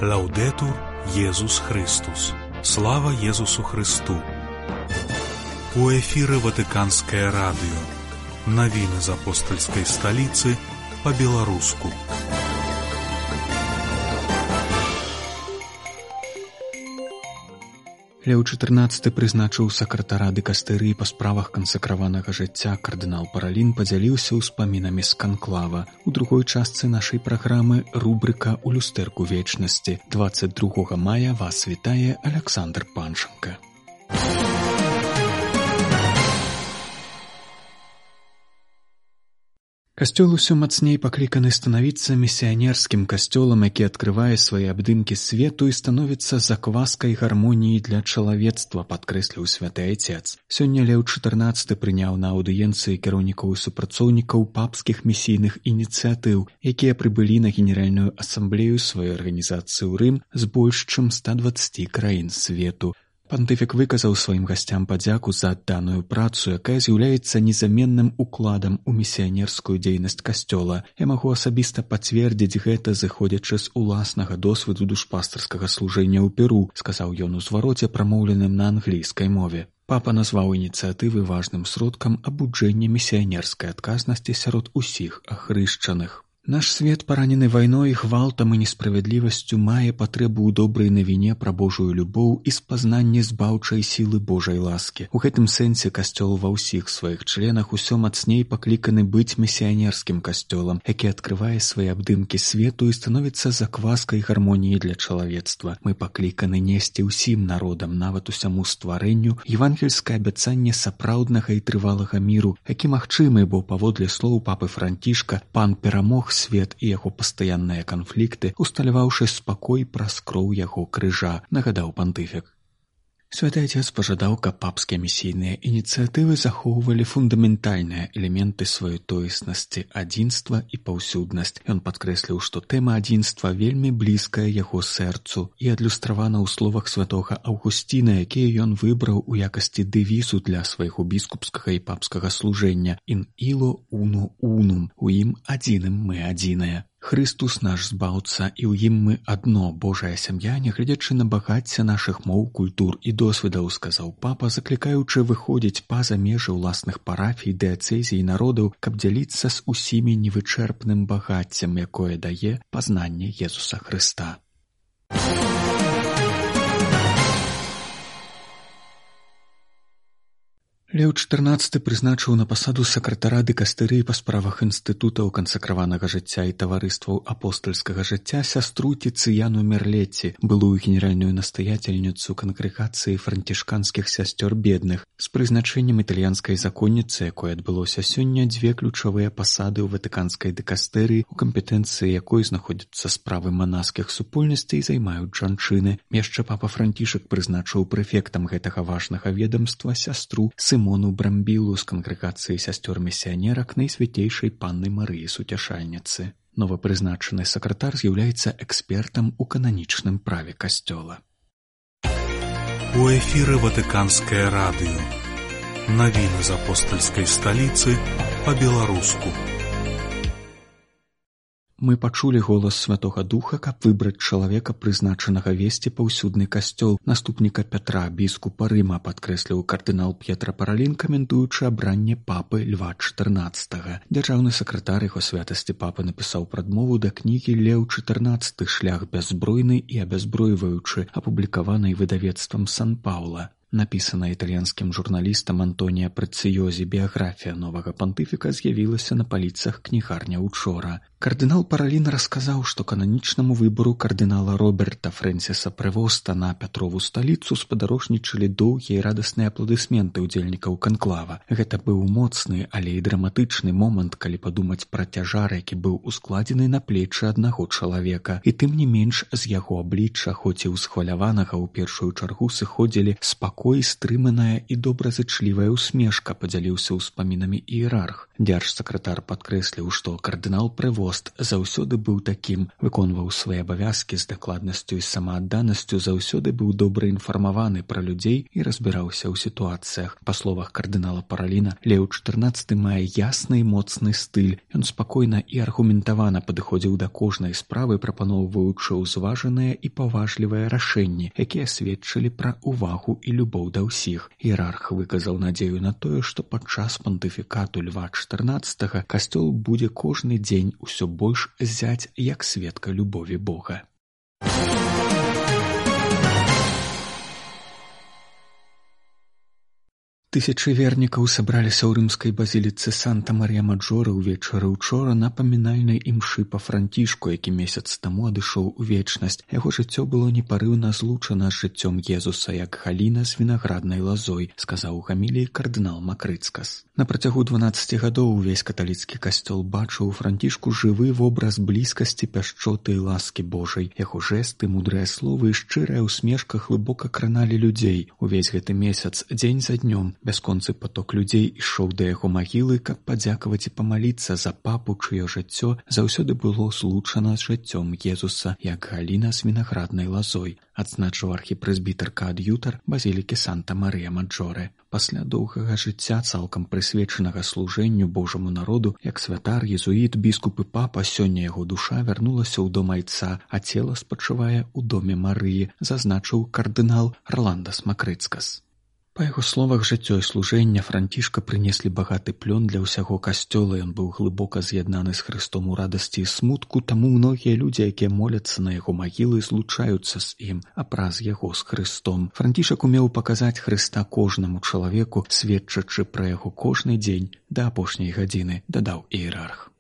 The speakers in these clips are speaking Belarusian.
Лаўдэтур Езус Христус. Слава Езусу Христу. У эфіры Ватыканскае радыё. Навіны з апостальскай сталіцы па-беларуску. Леў XIV прызначыў сакратара дыкастэрыі па справах кансакраванага жыцця. Кардынал Паралін падзяліўся ўспамінамі з канклава. У другой частцы нашай праграмы рубрыка «У люстэрку вечнасці». 22 мая вас вітае Аляксандр Панченка. Касцёл усё мацней пакліканы станавіцца місіянерскім касцёлам, які адкрывае свае абдымкі свету і становіцца закваскай гармоніі для чалавецтва, падкрэсліў святы айцец. Сёння Леў XIV прыняў на аўдыенцыі кіраўнікоў і супрацоўнікаў папскіх місійных ініцыятыў, якія прыбылі на генеральную асамблею сваёй арганізацыі ў Рым з больш чым 120 краін свету. Пантыфік выказаў сваім гасцям падзяку за адданую працу, якая з'яўляецца незаменным укладам у місіянерскую дзейнасць касцёла. Я магу асабіста пацвердзіць гэта, зыходзячы з уласнага досведу душпастарскага служэння ў Перу, сказаў ён у звароце, прамоўленым на англійскай мове. Папа назваў ініцыятывы важным сродкам абуджэння місіянерскай адказнасці сярод усіх ахрышчаных. Наш свет, паранены вайной, гвалтам і несправядлівасцю, мае патрэбу ў добрай навіне пра Божую любоў і спазнанне збаўчай сілы Божай ласкі. У гэтым сэнсе касцёл ва ўсіх сваіх членах усё мацней пакліканы быць місіянерскім касцёлам, які адкрывае свае абдымкі свету і становіцца закваскай гармоніі для чалавецтва. Мы пакліканы несці ўсім народам, нават усяму стварэнню, евангельскае абяцанне сапраўднага і трывалага міру, які магчымы, бо, паводле слоў папы Францішка, пан перамог свет і яго пастаянныя канфлікты, усталяваўшы спакой праз кроў яго крыжа, нагадаў пантыфік. Святы Айцец пажадаў, каб папскія місійныя ініцыятывы захоўвалі фундаментальныя элементы сваёй тоеснасці, адзінства і паўсюднасць. Ён падкрэсліў, што тэма адзінства вельмі блізкая яго сэрцу і адлюстравана ў словах святога Аўгусціна, якія ён выбраў у якасці дэвізу для свайго біскупскага і папскага служэння «In illo uno unum» – «У ім адзіным мы адзіныя». Христус наш збаўца, і ў ім мы адно, Божая сям'я, нягледзячы на багацце нашых моў, культур і досведаў, сказаў папа, заклікаючы выходзіць па-за межы ўласных парафій, дыяцэзій, народаў, каб дзяліцца з усімі невычэрпным багаццем, якое дае пазнанне Езуса Хрыста. Леў XIV прызначыў на пасаду сакратара дыкастэрыі па справах інстытутаў кансакраванага жыцця і таварыстваў апостальскага жыцця сястру Тыцыяну Мерлетці, былую генеральную настаяцельніцу кангрэгацыі францішканскіх сясцёр бедных. З прызначэннем італьянскай законніцы, якое адбылося сёння, дзве ключавыя пасады ў ватыканскай дыкастэрыі, у кампетэнцыі якой знаходзяцца справы манаскіх супольнасцей, займаюць жанчыны. Яшчэ папа Францішак прызначыў прэфектам гэтага важнага ведамства сястру Сымону Брамбілу з кангрэгацыі сясцёр-місіянерак Найсвяцейшай Панны Марыі Суцяшальніцы. Новапрызначаны сакратар з'яўляецца экспертам у кананічным праве касцёла. У эфіры Ватыканскае радыё. Навіны з апостальскай сталіцы па-беларуску. Мы пачулі голас Святога Духа, каб выбраць чалавека, прызначанага весці паўсюдны касцёл, наступніка Пятра, біскупа Рыма, падкрэсліў кардынал П'етра Паралін, каментуючы абранне папы Льва XIV. Дзяржаўны сакратар яго святасці папы напісаў прадмову да кнігі «Леў XIV. Шлях бяззбройны і абяззбройваючы», апублікаванай выдавецтвам Сан-Паўла. Напісана італьянскім журналістам Антонія Прэцыёзі, біяграфія новага пантыфіка з'явілася на паліцах кнігарня учора. Кардынал Паралін расказаў, што кананічнаму выбару кардынала Роберта Фрэнсіса Прэвоста на Пятрову сталіцу спадарожнічалі доўгія і радасныя апладысменты ўдзельнікаў канклава. Гэта быў моцны, але і драматычны момант, калі падумаць пра цяжар, які быў ускладзены на плечы аднаго чалавека. І тым не менш з яго аблічча, хоць і ўсхваляванага, у першую чаргу сыходзілі спакой спакой, стрыманая і добразычлівая усмешка, падзяліўся ўспамінамі іерарх. Дзяржсакратар падкрэсліў, што кардынал Прэвост заўсёды быў такім, выконваў свае абавязкі з дакладнасцю і самаадданасцю, заўсёды быў добра інфармаваны пра людзей і разбіраўся ў сітуацыях. Па словах кардынала Параліна, Леў XIV мае ясны і моцны стыль. Ён спакойна і аргументавана падыходзіў да кожнай справы, прапаноўваючы ўзважаныя і паважлівыя рашэнні, якія сведчылі пра увагу і любоў да ўсіх. Іерарх выказаў надзею на тое, што падчас пантыфікату Льва XIV касцёл будзе кожны дзень усё больш зяць як сведка любові Бога. Тысячы вернікаў сабраліся ў рымскай базіліцы Санта-Марія-Маджоры ўвечары учора на памінальнай імшы па Францішку, які месяц таму адышоў у вечнасць. Яго жыццё было непарыўна злучана з жыццём Езуса, як галіна з вінаграднай лазой, сказаў у гаміліі кардынал Макрыцкас. На працягу 12 гадоў увесь каталіцкі касцёл бачыў у Францішку жывы вобраз блізкасці, пяшчоты і ласкі Божай. Яго жэсты, мудрыя словы і шчырая ўсмешка глыбока краналі людзей. Увесь гэты месяц, дзень за днём, бясконцы поток людзей ішоў да яго магілы, каб падзякаваць і памаліцца за папу, чыё жыццё заўсёды было злучана з жыццём Езуса, як галіна з вінаграднай лазой, адзначыў архіпрэзбітар-каад'ютар базілікі Санта-Марія-Маджоры. Пасля доўгага жыцця, цалкам прысвечанага служэнню Божаму народу, як святар, езуіт, біскуп і папа, сёння яго душа вярнулася ў дом айца, а цела спачывае ў доме Марыі, зазначыў кардынал Арландас Макрыцкас. Па яго словах, жыццё і служэнне Францішка прынеслі багаты плён для ўсяго касцёла. Ён быў глыбока з'яднаны з Хрыстом у радасці і смутку, таму многія людзі, якія моляцца на яго магілы, злучаюцца з ім, а праз яго з Хрыстом. Францішак умеў паказаць Хрыста кожнаму чалавеку, сведчачы пра яго кожны дзень да апошняй гадзіны, дадаў іерарх.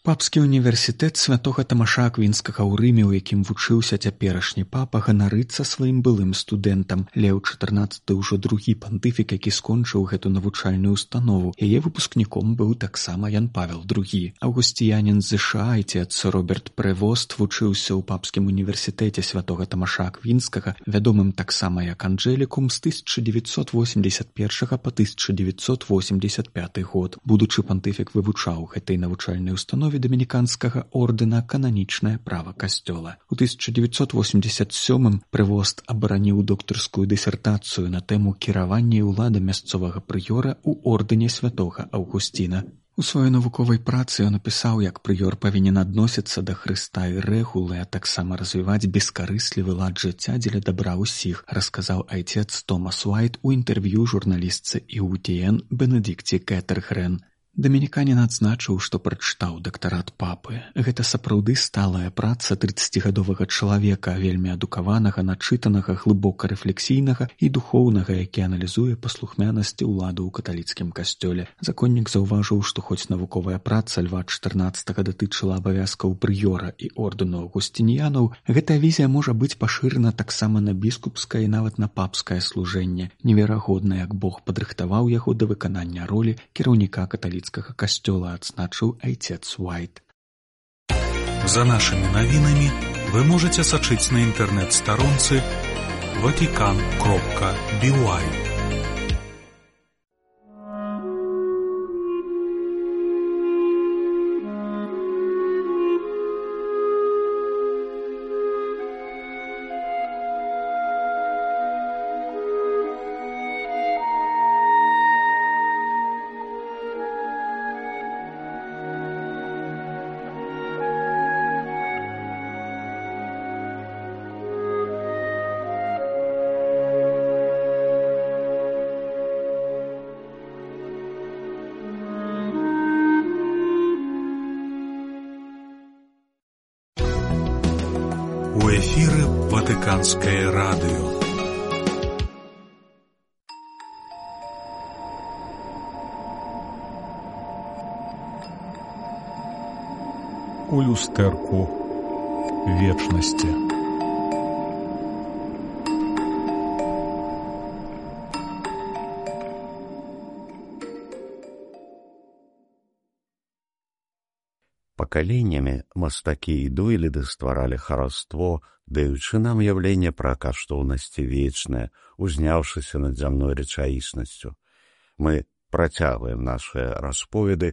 Папскі універсітэт святога Тамаша Аквінскага ў Рыме, у якім вучыўся цяперашні папа, ганарыцца сваім былым студэнтам. Леў XIV ўжо другі пантыфік, які скончыў гэту навучальную установу. Яе выпускніком быў таксама Ян Павел II. Аўгусціянін з ЗША, айцец Роберт Прэвост, вучыўся ў папскім універсітэце святога Тамаша Аквінскага, вядомым таксама як Анджэлікум, з 1981 па 1985 год. Будучы пантыфік вывучаў гэтай навучальнай установе дамініканскага ордэна кананічнае права касцёла. У 1987 Прэвост абараніў доктарскую дысертацыю на тэму кіравання і ўлада мясцовага прыёра ў ордэне святога Аўгусціна. У сваёй навуковай працы ён напісаў, як прыёр павінен адносіцца да Хрыста і рэгулы, а таксама развіваць бескарыслівы лад жыцця дзеля дабра ўсіх, расказаў айцец Томас Уайт у інтэрв'ю журналістцы ІУТН Бенедикце Кэтергрен. Дамініканін адзначыў, што прачытаў дактарат папы. Гэта сапраўды сталая праца 30гадовага чалавека, вельмі адукаванага, начытанага, глыбока рэфлексійнага і духоўнага, які аналізуе паслухмянасці ўлады ў каталіцкім касцёле. Законнік заўважыў, што хоць навуковая праца Льва XIV датычыла абавязкаў прыёра і ордэну аўгусцініянаў, гэтая візія можа быць пашырана таксама на біскупскае і нават на папскае служэнне. Неверагодна, як Бог падрыхтаваў яго да выканання ролі кіраўніка каталіцкага касцёла, адзначыў айцец Уайт. За нашими новинами вы можете сачыць на интернет-сторонце vatican.by. У эфіры Ватыканскае радыё. У люстэрку вечнасці. Пакаленнямі мастакі і дойліды стваралі хараство, даючы нам уяўленне пра каштоўнасці вечнае, узняўшыся над зямной рэчаіснасцю. Мы працягваем нашыя расповеды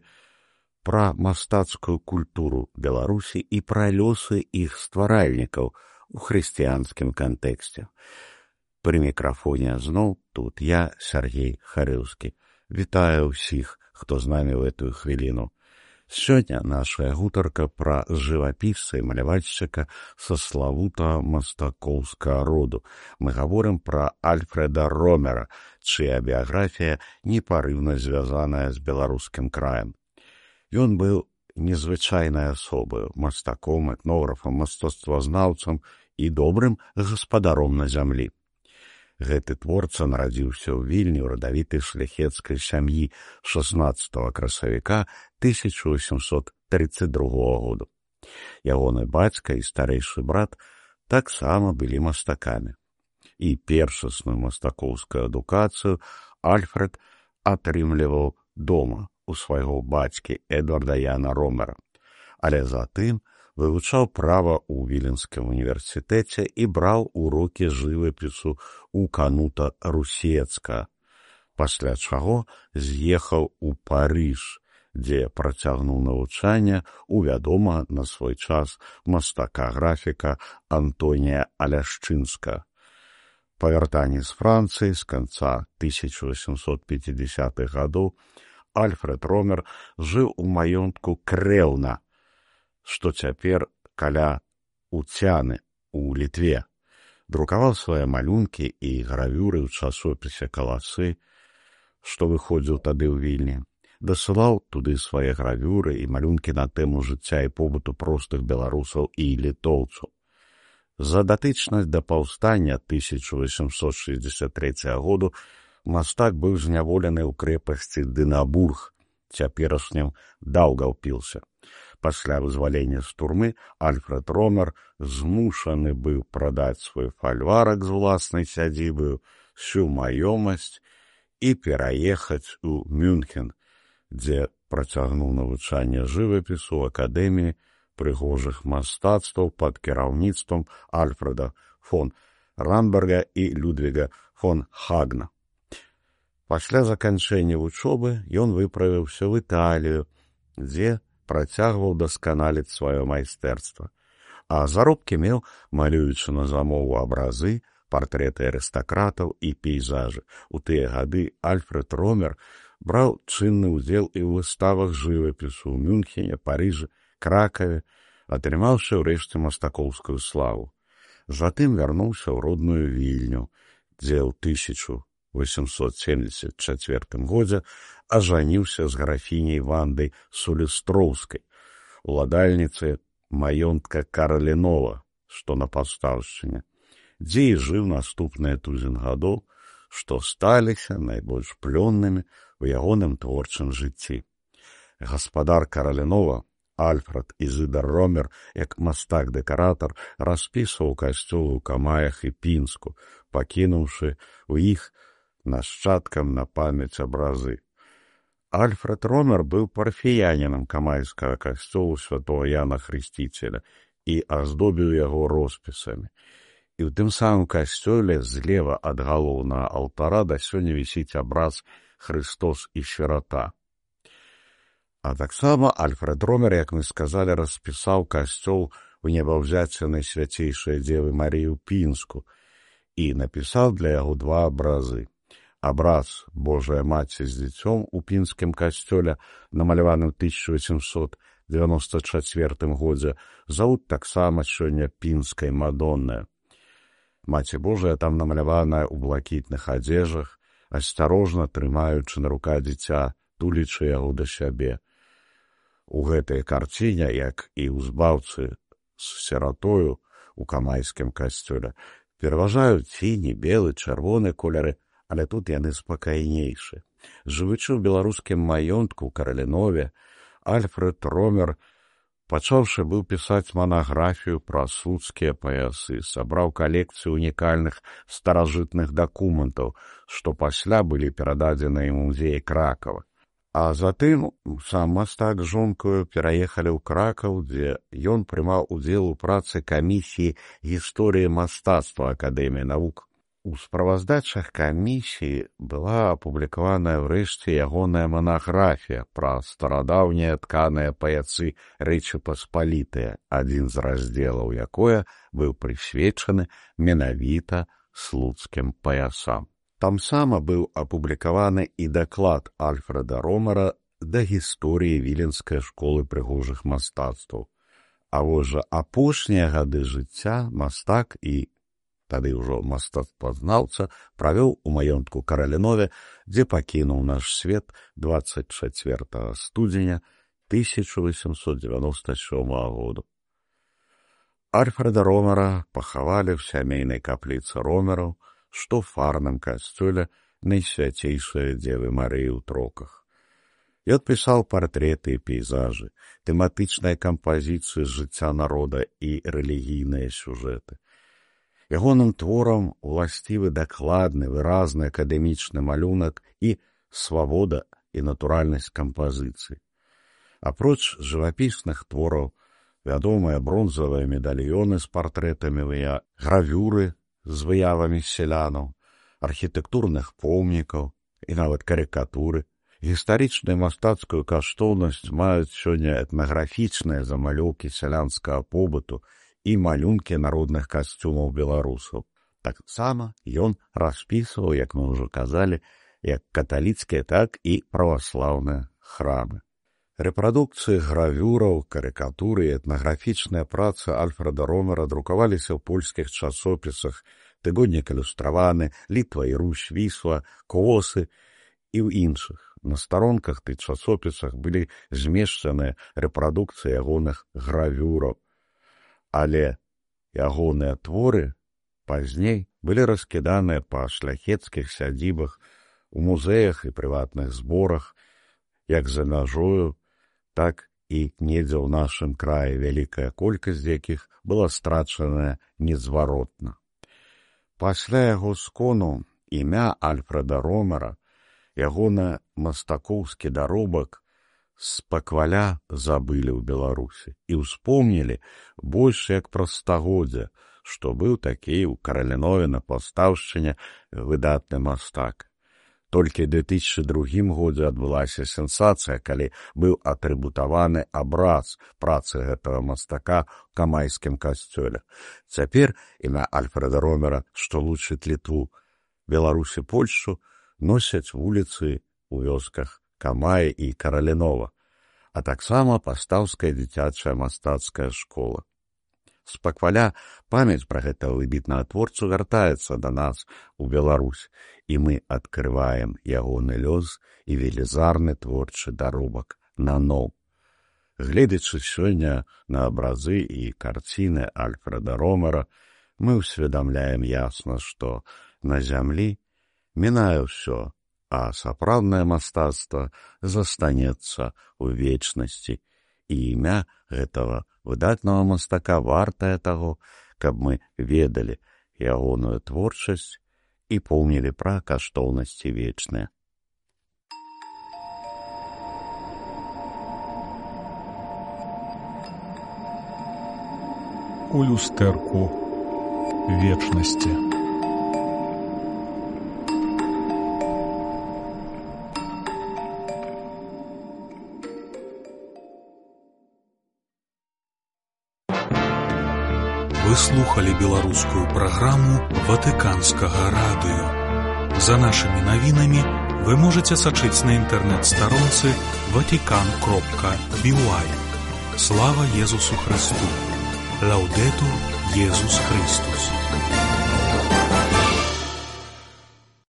пра мастацкую культуру Беларусі і пра лёсы іх стваральнікаў у хрысціянскім кантэксце. Пры мікрафоне зноў тут я, Сергей Харыўскі. Вітаю ўсіх, хто з намі ў гэтую хвіліну. Сёння нашая гутарка пра жывапісца і малявальшчыка са славутага мастакоўскага роду. Мы гаворым пра Альфреда Ромера, чыя біяграфія непарыўна звязаная з беларускім краем. Ён быў незвычайнай асобаю, мастаком, этнографам, мастацтвазнаўцам і добрым гаспадаром на зямлі. Гэты творца нарадзіўся ў Вільні ў радавітай шляхецкай сям'і 16 красавіка 1832 году. Ягоны бацька і старэйшы брат таксама былі мастакамі. І першасную мастакоўскую адукацыю Альфред атрымліваў дома у свайго бацькі Эдварда Яна Ромера, але затым вывучаў права ў Віленскім універсітэце і браў урокі жывапісу ў Канута Русецка, пасля чаго з'ехаў у Парыж, дзе працягнуў навучанне у вядомага на свой час мастака-графіка Антонія Аляшчынска. Па вяртанні з Францыі з канца 1850-х гадоў Альфред Ромер жыў у маёнтку Крэўна, што цяпер каля Уцяны ў Літве. Друкаваў свае малюнкі і гравюры ў часопісе «Каласы», што выходзіў тады ў Вільні. Дасылаў туды свае гравюры і малюнкі на тэму жыцця і побыту простых беларусаў і літоўцаў. За датычнасць да паўстання 1863 году мастак быў зняволены ў крэпасці Дынабург, цяперашнім Даўгаўпілсе. Пасля вызвалення з турмы Альфред Ромер змушаны быў прадаць свой фальварак з уласнай сядзібаю, всю маёмасць і пераехаць у Мюнхен, дзе працягнуў навучанне жывапісу ў акадэміі прыгожых мастацтваў пад кіраўніцтвам Альфреда фон Рамберга і Людвіга фон Хагна. Пасля заканчэння вучобы ён выправіўся ў Італію, дзе працягваў дасканаліць сваё майстэрства, а заробкі меў, малюючы на замову абразы, партрэты арыстакратаў і пейзажы. У тыя гады Альфред Ромер браў чынны ўдзел і ў выставах жывапісу ў Мюнхене, Парыжы, Кракаве, атрымаўшы ўрэшце мастакоўскую славу. Затым вярнуўся ў родную Вільню, дзе ў 1874 годзе ажаніўся з графіняй Вандай Сулістроўскай, уладальніцай маёнтка Каралінова, што на Пастаўшчыне, дзе і жыў наступныя тузін гадоў, што сталіся найбольш плённымі ў ягоным творчым жыцці. Гаспадар Каралінова, Альфред Ізыдар Ромер, як мастак-дэкаратар, распісваў касцёлы ў Камаях і Пінску, пакінуўшы ў іх нашчадкам на памяць абразы. Альфред Ромер быў парафіянінам камайскага касцёлу святого Яна Хрысціцеля і аздобіў яго роспісамі. І ў тым самым касцёле злева ад галоўнага алтара да сёння вісіць абраз «Хрыстос і сірата». А таксама Альфред Ромер, як мы сказалі, распісаў касцёл у небаўзяцця Найсвяцейшай Дзевы Марыі ў Пінску і напісаў для яго два абразы. Абраз Божая Маці з дзіцём у пінскім касцёле, намаляваны ў 1894 годзе, завуць таксама сёння пінскай Мадоннай. Маці Божая там намаляваная ў блакітных адзежах, асцярожна трымаючы на рука дзіця, тулічы яго да сябе. У гэтай карціне, як і ў збаўцы з сіратою у камайскім касцёле, пераважаюць сіні, белы, чырвоны колеры, але тут яны спакайнейшы. Жывучы ў беларускім маёнтку ў Каралінове, Альфред Ромер, пачаўшы быў пісаць манаграфію пра слуцкія паясы, сабраў калекцыю унікальных старажытных дакументаў, што пасля былі перададзены ў музеі Кракава. А затым сам мастак з жонкаю пераехалі ў Кракаў, дзе ён прымаў удзел у працы камісіі гісторыі мастацтва Акадэміі навук. У справаздачах камісіі была апублікаваная ўрэшце ягоная манаграфія пра старадаўнія тканыя паяцы Рэчы Паспалітыя, адзін з раздзелаў якое быў прысвечаны менавіта слуцкім паясам. Там сама быў апублікаваны і даклад Альфрэда Ромара да гісторыі віленскай школы прыгожых мастацтваў. А вось жа апошнія гады жыцця мастак і тады ўжо мастацтвазнаўца правёў у маёнтку Каралінове, дзе пакінуў наш свет 24 студзеня 1897 году. Альфрэда Ромара пахавалі ў сямейнай капліцы Ромераў, што ў фарным касцёле Найсвяцейшай Дзевы Марыі ў Троках. Ён пісаў партрэты і пейзажы, тэматычныя кампазіцыі з жыцця народа і рэлігійныя сюжэты. Ягоным творам уласцівы дакладны, выразны акадэмічны малюнак і свабода і натуральнасць кампазіцыі. Апроч жывапісных твораў, вядомыя бронзавыя медальёны з партрэтамі гравюры з выявамі сялянаў, архітэктурных помнікаў і нават карыкатуры. Гістарычную мастацкую каштоўнасць маюць сёння этнаграфічныя замалёўкі сялянскага побыту і малюнкі народных касцюмаў беларусаў. Таксама ён распісваў, як мы ўжо казалі, як каталіцкія, так і праваслаўныя храмы. Рэпрадукцыі гравюраў, карыкатуры і этнаграфічныя працы Альфрэда Ромера друкаваліся ў польскіх часопісах «Тыгоднік ілюстраваны», «Літва і Русь», «Вісла», «Колосы» і ў іншых. На старонках тых часопісах былі змешчаныя рэпрадукцыі ягоных гравюраў, але ягоныя творы пазней былі раскіданыя па шляхецкіх сядзібах, у музеях і прыватных зборах, як за мяжою, так і недзе ў нашым краі, вялікая колькасць якіх была страчаная незваротна. Пасля яго скону імя Альфрэда Ромера, ягоны мастакоўскі даробак спакваля забылі ў Беларусі і ўспомнілі больш як праз стагоддзя, што быў такі ў Каралінове на Паўстаўшчыне выдатны мастак. Толькі ў 2002 годзе адбылася сенсацыя, калі быў атрыбутаваны абраз працы гэтага мастака ў камайскім касцёле. Цяпер імя Альфрэда Ромера, што лучыць Літву, Беларусь і Польшчу, носяць вуліцы ў вёсках Камаі і Каралінова, а таксама Пастаўская дзіцячая мастацкая школа. Спакваля памяць пра гэтага выбітнага творцу вяртаецца да нас у Беларусь, і мы адкрываем ягоны лёс і велізарны творчы даробак наноў. Гледзячы сёння на абразы і карціны Альфрэда Ромера, мы ўсведамляем ясна, што на зямлі мінае ўсё, а сапраўднае мастацтва застанецца ў вечнасці, і імя гэтага выдатнага мастака вартае таго, каб мы ведалі ягоную творчасць і помнілі пра каштоўнасці вечныя. У люстэрку вечнасці. Вы слухали беларускую праграму Ватыканскага радыё. За нашымі навінамі вы можаце сачыць на інтэрнэт-старонцы vatican.by. Слава Езусу Христу! Лаўдэтур Езус Христус!